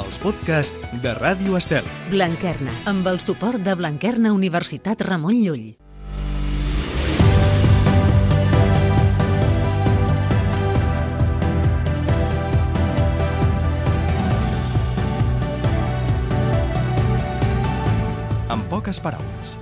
els podcasts de Ràdio Estel. Blanquerna, amb el suport de Blanquerna Universitat Ramon Llull. En poques paraules.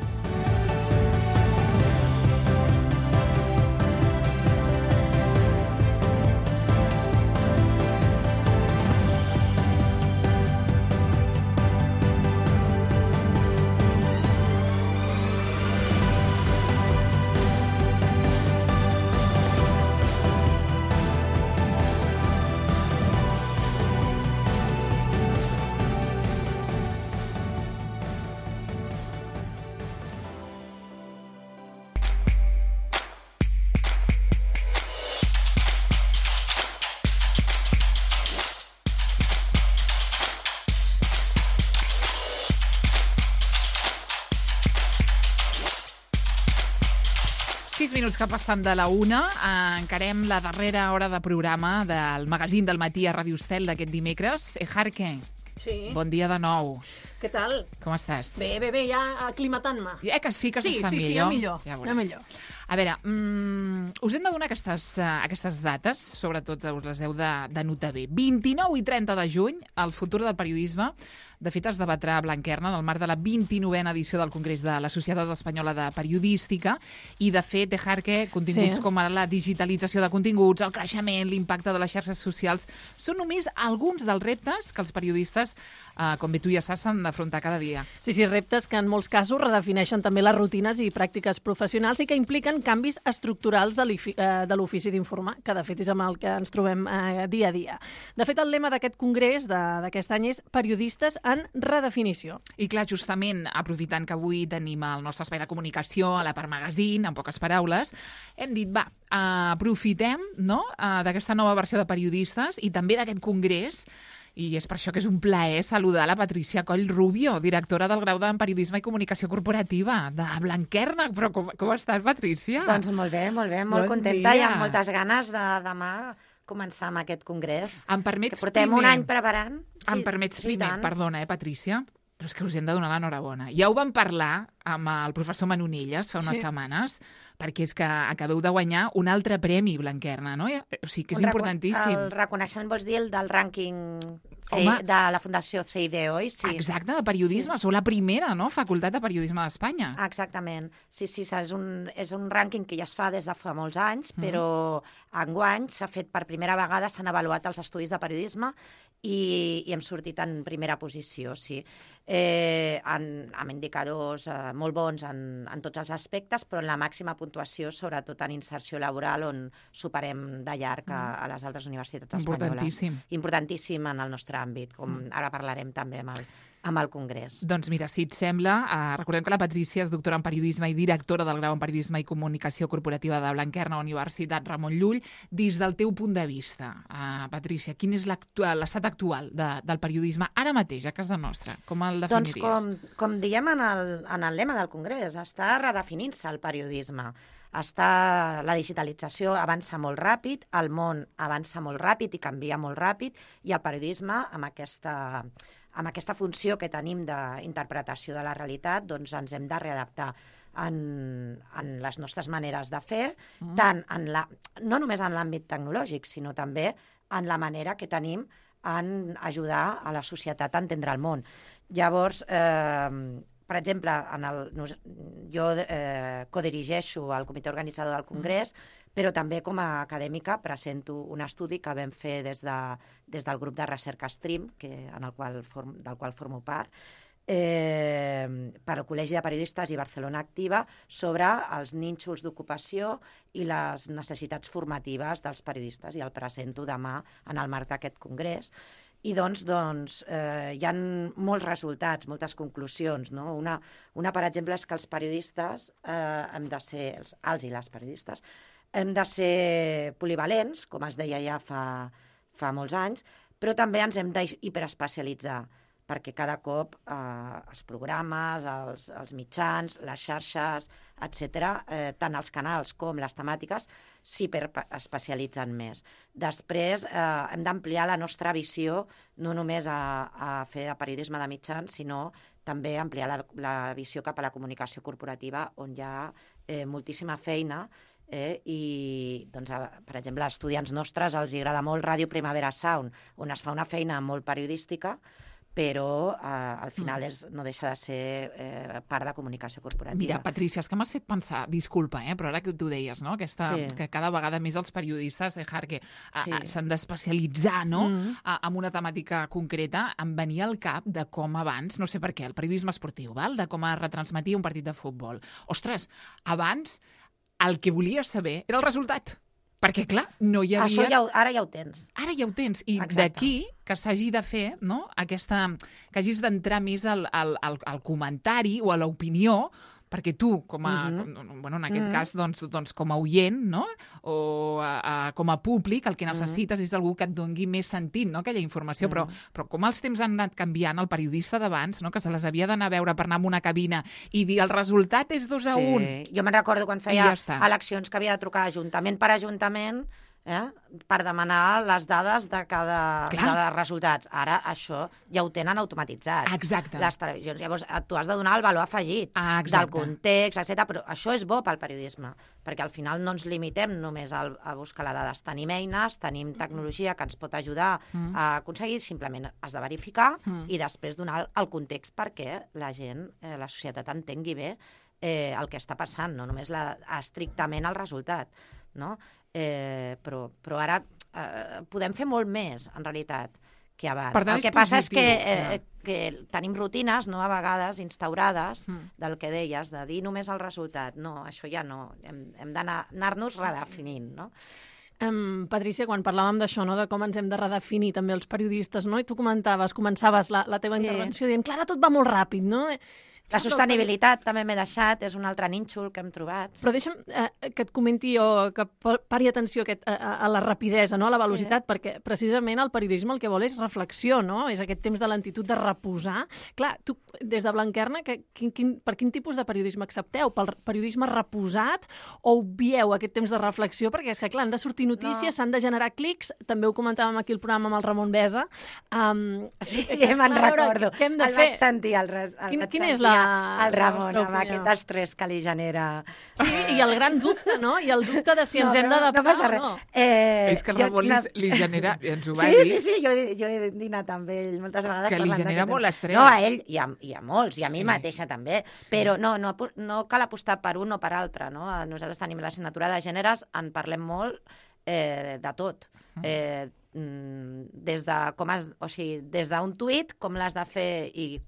Minuts que passen de la 1, encarem la darrera hora de programa del magazín del matí a Ràdio Estel d'aquest dimecres. Ejarque, sí. Bon dia de nou. Què tal? Com estàs? Bé, ja aclimatant-me. Que sí que s'està millor? Ja millor. Ja millor. A veure, us hem de donar aquestes dates, sobretot us les heu de notar bé. 29 i 30 de juny, el futur del periodisme. De fet, es debatrà a Blanquerna en el marc de la 29a edició del Congrés de la Societat Espanyola de Periodística i, de fet, Ejarque, continguts com ara la digitalització de continguts, el creixement, l'impacte de les xarxes socials, són només alguns dels reptes que els periodistes, com bé tu ja saps, s'han d'afrontar cada dia. Sí, reptes que en molts casos redefineixen també les rutines i pràctiques professionals i que impliquen canvis estructurals de l'ofici d'informar, que de fet és amb el que ens trobem dia a dia. De fet, el lema d'aquest congrés d'aquest any és periodistes en redefinició. I clar, justament, aprofitant que avui tenim el nostre espai de comunicació a la part magazín, en poques paraules, hem dit, aprofitem d'aquesta nova versió de periodistes i també d'aquest congrés, i és per això que és un plaer saludar la Patricia Coll Rubio, directora del grau en Periodisme i Comunicació Corporativa de Blanquerna. Però com estàs, Patricia? Doncs molt bé, molt contenta i amb moltes ganes de demà començar amb aquest congrés. Em permets que portem un any preparant. Em permets primer, perdona, Patricia, però és que us hem de donar l'enhorabona. Ja ho vam parlar amb el professor Manonilles fa unes setmanes, perquè és que acabeu de guanyar un altre premi, Blanquerna, no? O sigui que és importantíssim. El reconeixement, vols dir, el del rànquing de la Fundació CID, oi? Sí. Exacte, de periodisme. Sou la primera, no?, facultat de periodisme d'Espanya. Exactament. Sí, és un rànquing que ja es fa des de fa molts anys, però enguany s'ha fet per primera vegada, s'han avaluat els estudis de periodisme i hem sortit en primera posició, sí. Amb indicadors molt bons en tots els aspectes, però en la màxima puntuació, sobretot en inserció laboral, on superem de llarg a les altres universitats espanyoles. Importantíssim en el nostre àmbit, com ara parlarem també amb el Congrés. Doncs mira, si et sembla, recordem que la Patricia és doctora en Periodisme i directora del grau en Periodisme i Comunicació Corporativa de Blanquerna, Universitat Ramon Llull. Des del teu punt de vista, Patricia, quin és l'estat actual del periodisme ara mateix a casa nostra? Com el definiries? Doncs com diem en el lema del Congrés, està redefinint-se el periodisme. La digitalització avança molt ràpid, el món avança molt ràpid i canvia molt ràpid, i el periodisme, amb aquesta funció que tenim d'interpretació de la realitat, doncs ens hem de readaptar en les nostres maneres de fer, tant no només en l'àmbit tecnològic, sinó també en la manera que tenim en ajudar a la societat a entendre el món. Llavors, per exemple, jo codirigeixo el comitè organitzador del Congrés, però també com a acadèmica presento un estudi que vam fer des del grup de recerca Stream, del qual formo part, per al Col·legi de Periodistes i Barcelona Activa, sobre els nínxols d'ocupació i les necessitats formatives dels periodistes, i el presento demà en el marc d'aquest congrés. I doncs hi ha molts resultats, moltes conclusions, no? Una, per exemple, és que els periodistes hem de ser, els i les periodistes, hem de ser polivalents, com es deia ja fa molts anys, però també ens hem d'hiperespecialitzar. perquè cada cop els programes, els mitjans, les xarxes, etc., tant els canals com les temàtiques s'hiperespecialitzen més. Després hem d'ampliar la nostra visió no només a fer de periodisme de mitjans, sinó també ampliar la visió cap a la comunicació corporativa, on hi ha moltíssima feina, i, doncs, per exemple, als estudiants nostres els agrada molt Ràdio Primavera Sound, on es fa una feina molt periodística, però al final no deixa de ser part de comunicació corporativa. Mira, Patrícia, és que m'has fet pensar, disculpa, però ara que tu deies, no? Que cada vegada més els periodistes s'han d'especialitzar, no? En una temàtica concreta. Em venia al cap de com abans, no sé per què, el periodisme esportiu, de com es retransmetia un partit de futbol. Ostres, abans el que volies saber era el resultat. Perquè, clar, no hi havia... Ara ja ho tens. Ara ja ho tens. I d'aquí que s'hagi de fer, no?, que hagis d'entrar més al comentari o a l'opinió, perquè tu, en aquest cas, doncs, com a oient, no?, o com a públic, el que necessites és algú que et doni més sentit, no?, aquella informació. Però com els temps han anat canviant, el periodista d'abans, no?, que se les havia d'anar a veure per anar a una cabina i dir el resultat és 2-1. Sí, jo me'n recordo quan feia eleccions que havia de trucar ajuntament per ajuntament per demanar les dades de cada resultats. Ara això ja ho tenen automatitzat. Exacte. Les televisions. Llavors tu has de donar el valor afegit del context, etc. Però això és bo pel periodisme, perquè al final no ens limitem només a buscar les dades. Tenim eines, tenim tecnologia que ens pot ajudar a aconseguir, simplement has de verificar i després donar el context perquè la gent, la societat entengui bé el que està passant, no només estrictament el resultat, no? Però ara podem fer molt més, en realitat, que abans. El que passa és que tenim rutines, no, a vegades instaurades, del que deies, de dir només el resultat. No, això ja no. Hem d'anar-nos redefinint, no? Patrícia, quan parlàvem d'això, no, de com ens hem de redefinir també els periodistes, no? I tu començaves la teva intervenció dient, clar, tot va molt ràpid, no? La sostenibilitat també m'he deixat, és un altre nínxol que hem trobat. Però deixa'm que et comenti o que pari atenció a la rapidesa, no? A la velocitat, perquè precisament el periodisme el que vol és reflexió, no? És aquest temps de lentitud de reposar. Clar, tu, des de Blanquerna, per quin tipus de periodisme accepteu? Pel periodisme reposat o obvieu aquest temps de reflexió? Perquè és que, clar, han de sortir notícies, s'han de generar clics, també ho comentàvem aquí al programa amb el Ramon Besa. Sí, me'n recordo. Què hem de fer? El vaig sentir, Quin és el Ramon, amb aquest estrès que li genera. Sí, i el gran dubte, no? I el dubte de si ens hem d'adaptar no passa res. o no. És que el Ramon li genera, ens ho va dir... Sí, jo he dinat amb ell moltes vegades. Que li genera molt estrès. No, a ell i a molts, i a mi mateixa també. Però no cal apostar per un o per altre, no? Nosaltres tenim l'assignatura de gèneres, en parlem molt de tot. Des d'un tuit, com l'has de fer i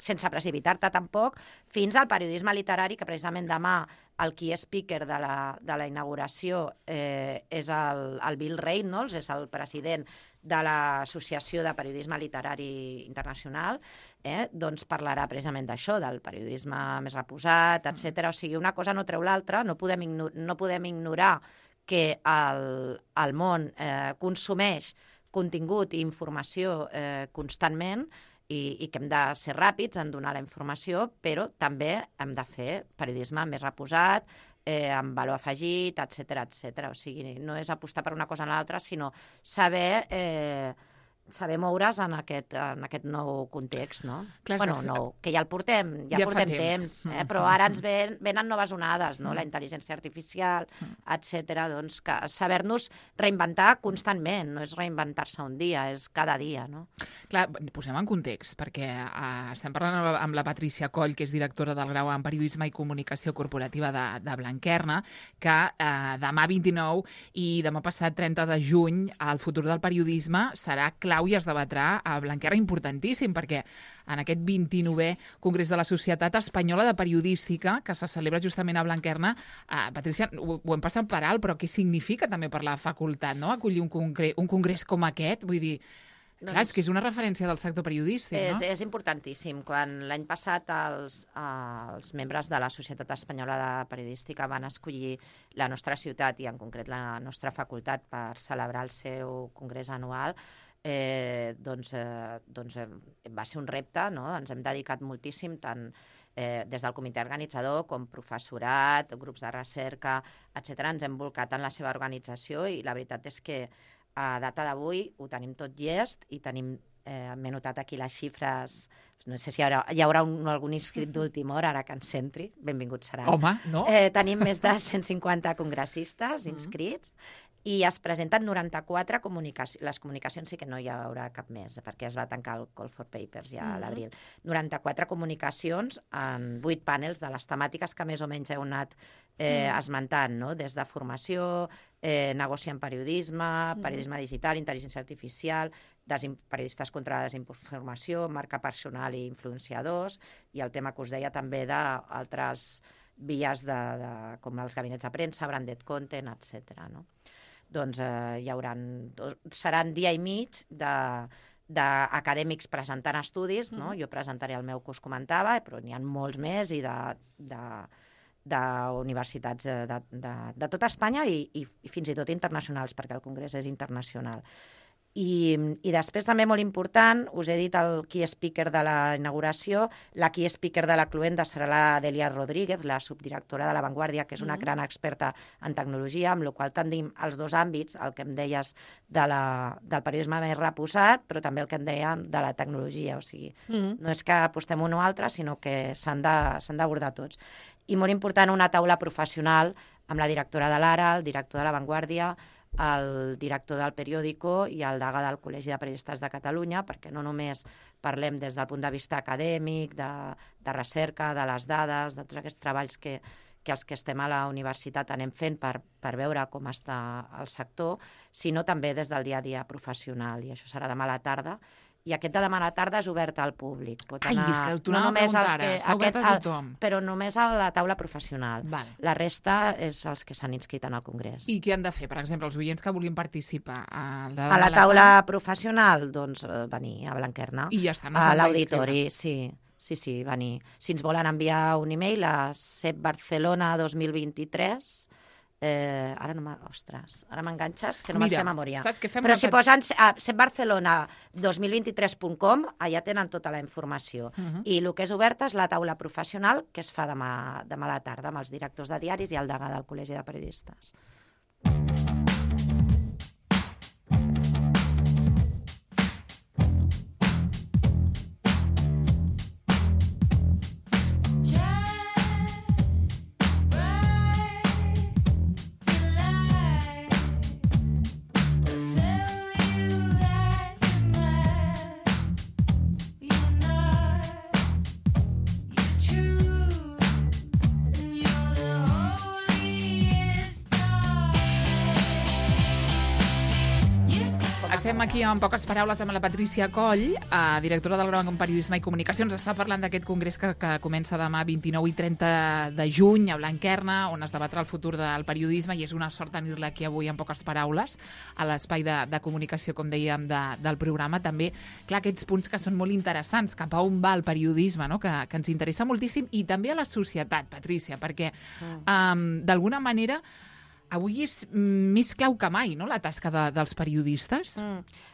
sense precipitar-te tampoc, fins al periodisme literari, que precisament demà el key speaker de la inauguració és el Bill Reynolds, és el president de l'Associació de Periodisme Literari Internacional, doncs parlarà precisament d'això, del periodisme més reposat, etc. O sigui, una cosa no treu l'altra, no podem ignorar que el món consumeix contingut i informació constantment i que hem de ser ràpids en donar la informació, però també hem de fer periodisme més reposat, amb valor afegit, etc. O sigui, no és apostar per una cosa o l'altra, sinó saber moure's en aquest nou context, no? Clar, que ja el portem, ja portem temps, però ara ens venen noves onades, no? La intel·ligència artificial, etc. Doncs saber-nos reinventar constantment, no és reinventar-se un dia, és cada dia, no? Clar, posem en context, perquè estem parlant amb la Patrícia Coll, que és directora del grau en Periodisme i Comunicació Corporativa de Blanquerna, que demà 29 i demà passat 30 de juny el futur del periodisme serà clau i es debatrà a Blanquerna, importantíssim, perquè en aquest 29è Congrés de la Societat Espanyola de Periodística, que se celebra justament a Blanquerna, Patrícia, ho hem passat per alt, però què significa també per la facultat, no?, acollir un congrés com aquest? Vull dir, clar, és que és una referència del sector periodístic, no? És importantíssim. Quan l'any passat els membres de la Societat Espanyola de Periodística van escollir la nostra ciutat i en concret la nostra facultat per celebrar el seu congrés anual, va ser un repte, no? Ens hem dedicat moltíssim, tant des del comitè organitzador com professorat, grups de recerca, etc. Ens hem volcat en la seva organització i la veritat és que a data d'avui ho tenim tot llest i tenim, m'he notat aquí les xifres, no sé si hi haurà algun inscrit d'última hora, ara que ens centri, benvingut serà. Home, no? Tenim més de 150 congressistes inscrits i es presenten 94 comunicacions. Les comunicacions sí que no hi haurà cap més, perquè es va tancar el Call for Papers ja a l'abril. 94 comunicacions en 8 panels de les temàtiques que més o menys heu anat esmentant, no? Des de formació, negoci en periodisme, periodisme digital, intel·ligència artificial, periodistes contra la desinformació, marca personal i influenciadors, i el tema que us deia també d'altres vies com els gabinets de premsa, branded content, etc. No? Doncs seran dia i mig d'acadèmics presentant estudis, no? Jo presentaré el meu que us comentava, però n'hi ha molts més i d'universitats de tota Espanya i fins i tot internacionals, perquè el congrés és internacional. I després també molt important, us he dit el key speaker de la inauguració, la key speaker de la Cluenda serà la Delia Rodríguez, la subdirectora de La Vanguardia, que és una gran experta en tecnologia, amb la qual tenim els dos àmbits, el que em deies del periodisme més reposat, però també el que em dèiem de la tecnologia, o sigui, no és que apostem un o altre, sinó que s'han d'abordar tots. I molt important, una taula professional amb la directora de l'Ara, el director de La Vanguardia, el director del Periódico i el degà del Col·legi de Periodistes de Catalunya, perquè no només parlem des del punt de vista acadèmic, de recerca, de les dades, de tots aquests treballs que els que estem a la universitat anem fent per veure com està el sector, sinó també des del dia a dia professional, i això serà demà a la tarda. I aquest de demà a la tarda és obert al públic. Pot anar, és que t'ho anava a preguntar ara, està obert a tothom. Però només a la taula professional. Vale. La resta és els que s'han inscrit en el congrés. I què han de fer, per exemple, els oients que vulguin participar? A la taula professional, doncs venir a Blanquerna. I ja està, no a l'auditori, sí, venir. Si ens volen enviar un e-mail a sepbarcelona2023, ara m'enganxes, que no me'n sé a memòria. Però si posen sepbarcelona2023.com, allà tenen tota la informació. I el que és oberta és la taula professional, que es fa demà a la tarda amb els directors de diaris i el degà del Col·legi de Periodistes. Estem aquí amb poques paraules amb la Patrícia Coll, directora del Grau en Periodisme i Comunicació. Ens està parlant d'aquest congrés que comença demà 29 i 30 de juny a Blanquerna, on es debatrà el futur del periodisme, i és una sort tenir-la aquí avui amb poques paraules a l'espai de comunicació, com dèiem, del programa. També, clar, aquests punts que són molt interessants, cap a on va el periodisme, no? que ens interessa moltíssim, i també a la societat, Patrícia, perquè d'alguna manera avui és més clau que mai, no?, la tasca dels periodistes.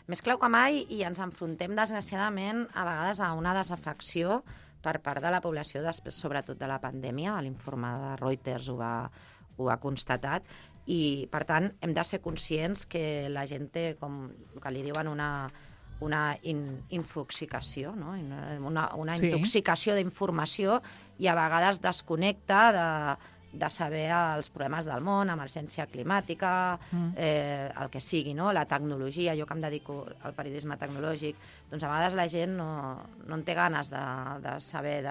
Més clau que mai, i ens enfrontem, desgraciadament, a vegades a una desafecció per part de la població, després, sobretot de la pandèmia. L'informe de Reuters ho ha constatat, i, per tant, hem de ser conscients que la gent té, com que li diuen, una infoxicació, no? Una intoxicació d'informació, i a vegades desconnecta de saber els problemes del món, emergència climàtica, el que sigui, no? La tecnologia. Jo que em dedico al periodisme tecnològic, doncs a vegades la gent no en té ganes de saber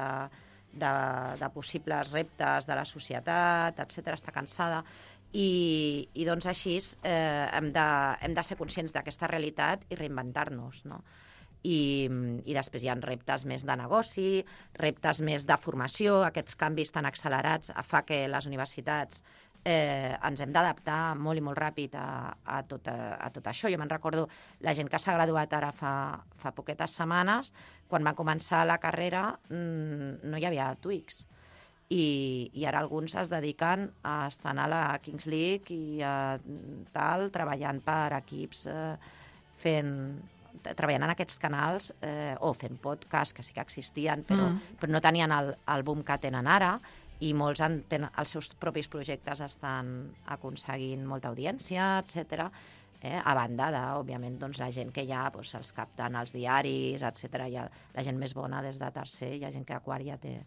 de possibles reptes de la societat, etc. Està cansada. I doncs així hem de ser conscients d'aquesta realitat i reinventar-nos, no? I després hi ha reptes més de negoci, reptes més de formació. Aquests canvis tan accelerats fa que les universitats ens hem d'adaptar molt i molt ràpid a tot això. Jo me'n recordo la gent que s'ha graduat ara fa poquetes setmanes, quan va començar la carrera no hi havia Twix. I ara alguns es dediquen a estar a la Kings League i treballant per equips fent treballant en aquests canals o fent podcast, que sí que existien, però no tenien el boom que tenen ara, i molts tenen els seus propis projectes, estan aconseguint molta audiència, etc. A banda de, òbviament, doncs, la gent que ja els capten als diaris, etc. La gent més bona des de tercer, hi ha gent que a quart ja té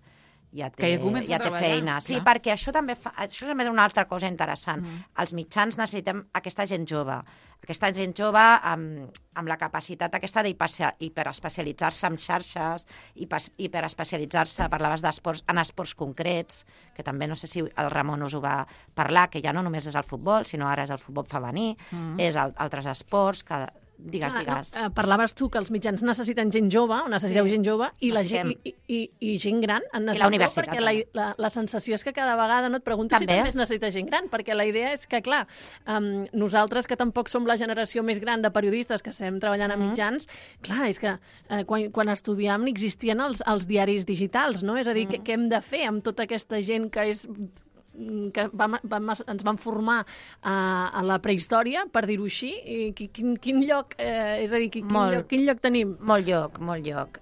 feina. Sí, perquè això també és una altra cosa interessant. Els mitjans necessitem aquesta gent jove amb la capacitat aquesta d'hiperespecialitzar-se en xarxes, hiperespecialitzar-se, parlaves d'esports, en esports concrets, que també no sé si el Ramon us ho va parlar, que ja no només és el futbol, sinó ara és el futbol femení, és altres esports que... Digues. Parlaves tu que els mitjans necessiten gent jove, o necessiteu gent jove, i gent gran en necessiteu, la universitat, perquè la sensació és que cada vegada no et pregunto si també es necessita gent gran, perquè la idea és que, clar, nosaltres que tampoc som la generació més gran de periodistes que estem treballant a mitjans, clar, és que quan estudiàvem existien els diaris digitals, no? És a dir, què hem de fer amb tota aquesta gent que és... que ens van formar a la prehistòria, per dir-ho així, i quin lloc, és a dir, quin lloc tenim? Molt lloc.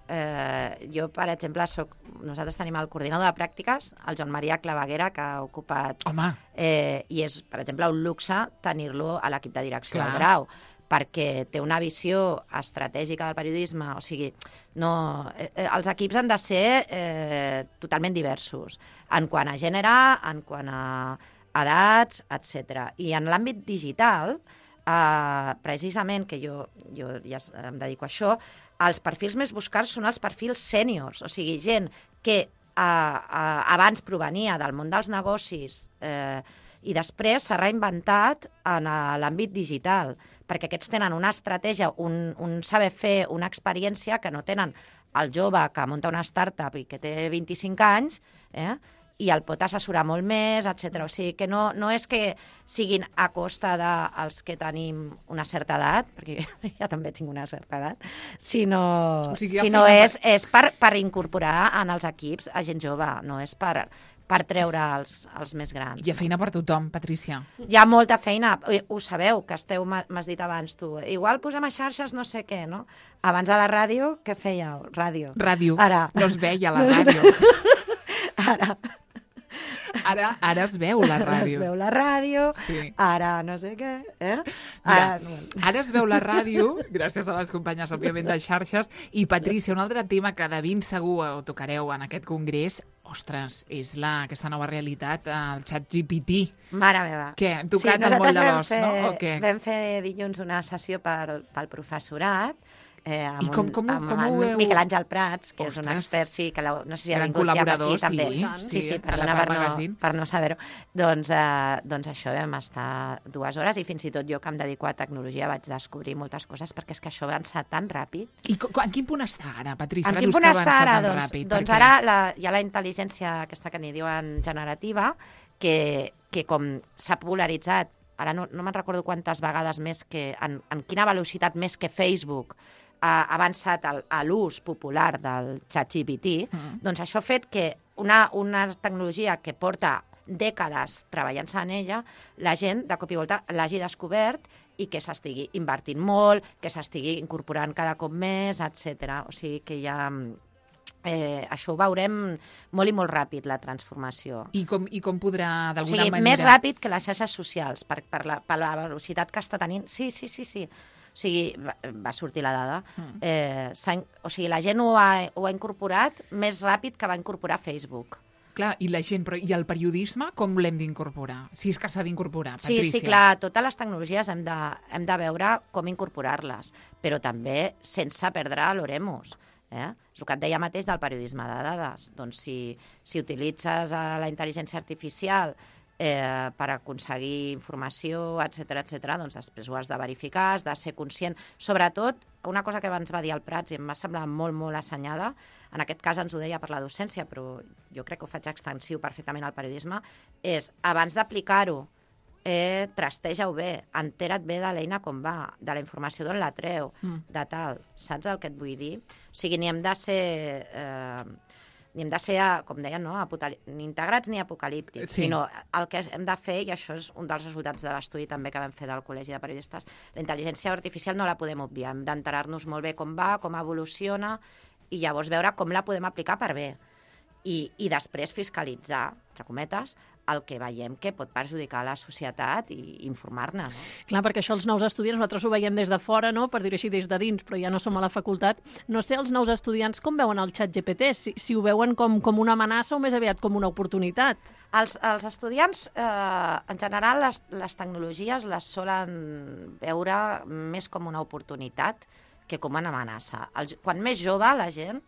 Jo, per exemple, nosaltres tenim el coordinador de pràctiques, el Joan Maria Claveguera, que ha ocupat... Home! I és, per exemple, un luxe tenir-lo a l'equip de direcció del Grau, perquè té una visió estratègica del periodisme, o sigui, els equips han de ser totalment diversos, en quant a gènere, en quant a edats, etc. I en l'àmbit digital, precisament, que jo ja em dedico a això, els perfils més buscats són els perfils sèniors, o sigui, gent que abans provenia del món dels negocis i després s'ha reinventat en l'àmbit digital, perquè aquests tenen una estratègia, un saber fer, una experiència que no tenen el jove que munta una startup i que té 25 anys, i el pot assessorar molt més, etc. O sigui, que no és que siguin a costa dels que tenim una certa edat, perquè ja també tinc una certa edat, sinó és per incorporar en els equips a gent jove, no és per treure els més grans. Hi ha feina per tothom, Patrícia. Hi ha molta feina. Ho sabeu, que m'has dit abans tu. Igual posem a xarxes no sé què, no? Abans a la ràdio, què fèieu? Ràdio. Ara. No es veia la ràdio. Ara es veu la ràdio. Ara es veu la ràdio, sí. Ara no sé què. Ara es veu la ràdio, gràcies a les companyes, òbviament, de xarxes. I, Patrícia, un altre tema que de ben segur ho tocareu en aquest congrés, ostres, és aquesta nova realitat, el ChatGPT. Mare meva. Què? Hem tocat el moll de l'os, no? O què? Vam fer dilluns una sessió pel professorat, I com ho heu... Miquel Àngel Prats, que és un expert, sí, que no sé si ha vingut ja per aquí, també. Sí, per no saber-ho. Doncs això, vam estar 2 hores i fins i tot jo, que em dedico a tecnologia, vaig descobrir moltes coses, perquè és que això avança tan ràpid. I en quin punt està ara, Patrícia? En quin punt està ara? Doncs ara hi ha la intel·ligència aquesta que n'hi diuen generativa, que com s'ha popularitzat, ara no me'n recordo quantes vegades més, en quina velocitat més que Facebook ha avançat a l'ús popular del ChatGPT, doncs això ha fet que una tecnologia que porta dècades treballant-se en ella, la gent de cop i volta l'hagi descobert i que s'estigui invertint molt, que s'estigui incorporant cada cop més, etc. O sigui que ja... això ho veurem molt i molt ràpid, la transformació. I com podrà, d'alguna manera... més ràpid que les xarxes socials, per la velocitat que està tenint. Sí. O sigui, va sortir la dada. O sigui, la gent ho ha incorporat més ràpid que va incorporar Facebook. Clar, i la gent, i el periodisme com l'hem d'incorporar? Si és que s'ha d'incorporar, Patrícia. Sí, clar, totes les tecnologies hem de veure com incorporar-les, però també sense perdre l'oremus. És el que et deia mateix del periodisme de dades. Doncs si utilitzes la intel·ligència artificial per aconseguir informació, etc., doncs després ho has de verificar, has de ser conscient. Sobretot, una cosa que abans va dir el Prats i em va semblar molt, molt assenyada, en aquest cas ens ho deia per la docència, però jo crec que ho faig extensiu perfectament al periodisme, és, abans d'aplicar-ho, trasteja-ho bé, entera't bé de l'eina com va, de la informació d'on la treu, de tal. Saps el que et vull dir? O sigui, ni hem de ser... ni hem de ser, com deien, no? Ni integrats ni apocalíptics, sinó el que hem de fer, i això és un dels resultats de l'estudi també que vam fer del Col·legi de Periodistes, la intel·ligència artificial no la podem obviar, hem d'enterar-nos molt bé com va, com evoluciona, i llavors veure com la podem aplicar per bé. I després fiscalitzar, entre cometes, el que veiem que pot perjudicar la societat i informar-ne. No? Clar, perquè això els nous estudiants, nosaltres ho veiem des de fora, no? Per dir-ho així, des de dins, però ja no som a la facultat. No sé, els nous estudiants com veuen el ChatGPT? Si ho veuen com una amenaça o més aviat com una oportunitat? Els estudiants, en general, les tecnologies les solen veure més com una oportunitat que com una amenaça. Quan més jove la gent,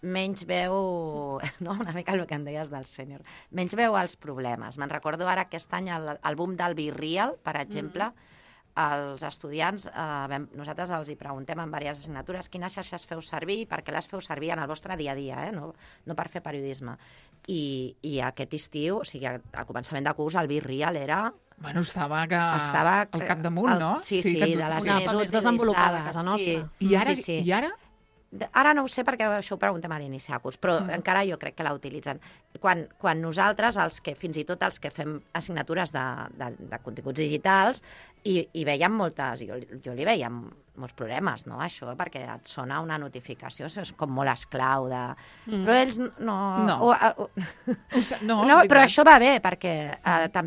menys veu, no? Una mica el que em deies del sènior, menys veu els problemes. Me'n recordo ara aquest any el boom del Be Real, per exemple, els estudiants, nosaltres els hi preguntem en diverses assignatures quines xarxes feu servir i per què les feu servir en el vostre dia a dia, no per fer periodisme. I aquest estiu, o sigui, al començament de curs, el Be Real era... Bueno, estava al capdamunt, no? Sí, de les més desenvolupades a casa nostra. Sí. I ara? Ara no ho sé perquè això ho preguntem a l'inici de curs, però encara jo crec que la utilitzen. Quan nosaltres, fins i tot els que fem assignatures de continguts digitals, i veiem moltes, jo li veia molts problemes, no? Això, perquè et sona una notificació, és com molt esclau de... Però ells no... No, però això va bé, perquè també